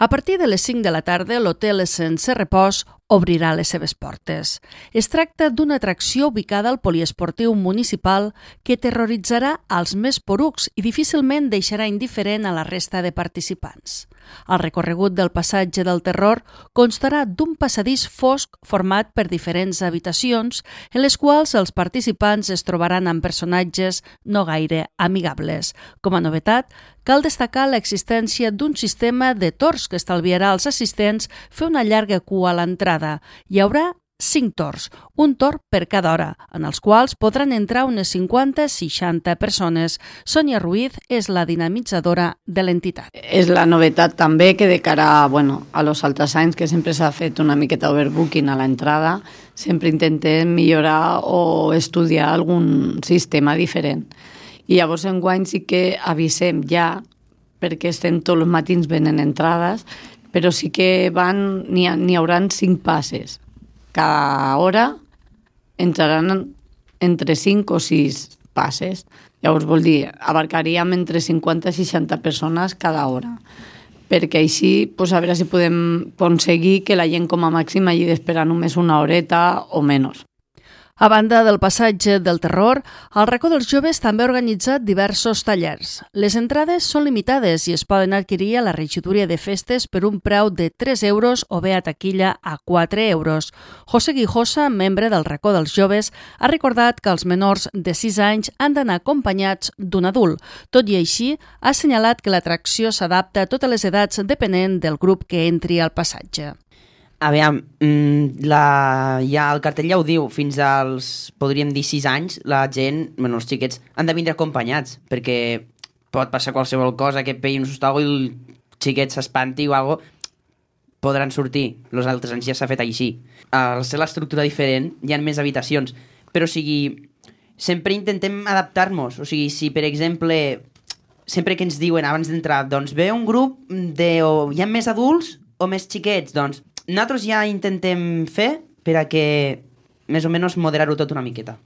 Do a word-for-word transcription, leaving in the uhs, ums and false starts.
A partir de les cinc de la tarda, l'hotel Sense Repòs obrirà les seves portes. Es tracta d'una atracció ubicada al poliesportiu municipal que terroritzarà als més porucs i difícilment deixarà indiferent a la resta de participants. El recorregut del passatge del terror constarà d'un passadís fosc format per diferents habitacions en les quals els participants es trobaran amb personatges no gaire amigables. Com a novetat, cal destacar l'existència d'un sistema de torns que estalviarà als assistents fer una llarga cua a l'entrada. Hi haurà cinc torns, un torn per cada hora, en els quals podran entrar unes cinquanta a seixanta persones. Sònia Ruiz és la dinamitzadora de l'entitat. És la novetat també que de cara bueno, a los altres anys, que sempre s'ha fet una miqueta overbooking a l'entrada, sempre intentem millorar o estudiar algun sistema diferent. I llavors enguany sí que avisem ja, perquè estem tots els matins venent entrades, però sí que van, n'hi ha, n'hi haurà cinc passes. Cada hora entraran entre cinc o sis passes. Llavors vol dir, abarcaríem entre cinquanta i seixanta persones cada hora. Perquè així, pues, a veure si podem aconseguir que la gent com a màxim hagi d'esperar només una horeta o menys. A banda del passatge del terror, el Racó dels Joves també ha organitzat diversos tallers. Les entrades són limitades i es poden adquirir a la regidoria de festes per un preu de tres euros o bé a taquilla a quatre euros. José Guijosa, membre del Racó dels Joves, ha recordat que els menors de sis anys han d'anar acompanyats d'un adult. Tot i així, ha assenyalat que l'atracció s'adapta a totes les edats depenent del grup que entri al passatge. A veure, la, ja el cartell ja ho diu, fins als, podríem dir, sis anys, la gent, bueno, els xiquets, han de vindre acompanyats, perquè pot passar qualsevol cosa, que pegui un sustago i el xiquet s'espanti o alguna cosa, podran sortir. Els altres anys ja s'ha fet així. Al ser l'estructura diferent, hi ha més habitacions, però o sigui, sempre intentem adaptar-nos. O sigui, si per exemple, sempre que ens diuen abans d'entrar, doncs ve un grup de, o hi ha més adults o més xiquets, doncs nosaltres ja intentem fer per a que més o menys moderar-ho tot una miqueta.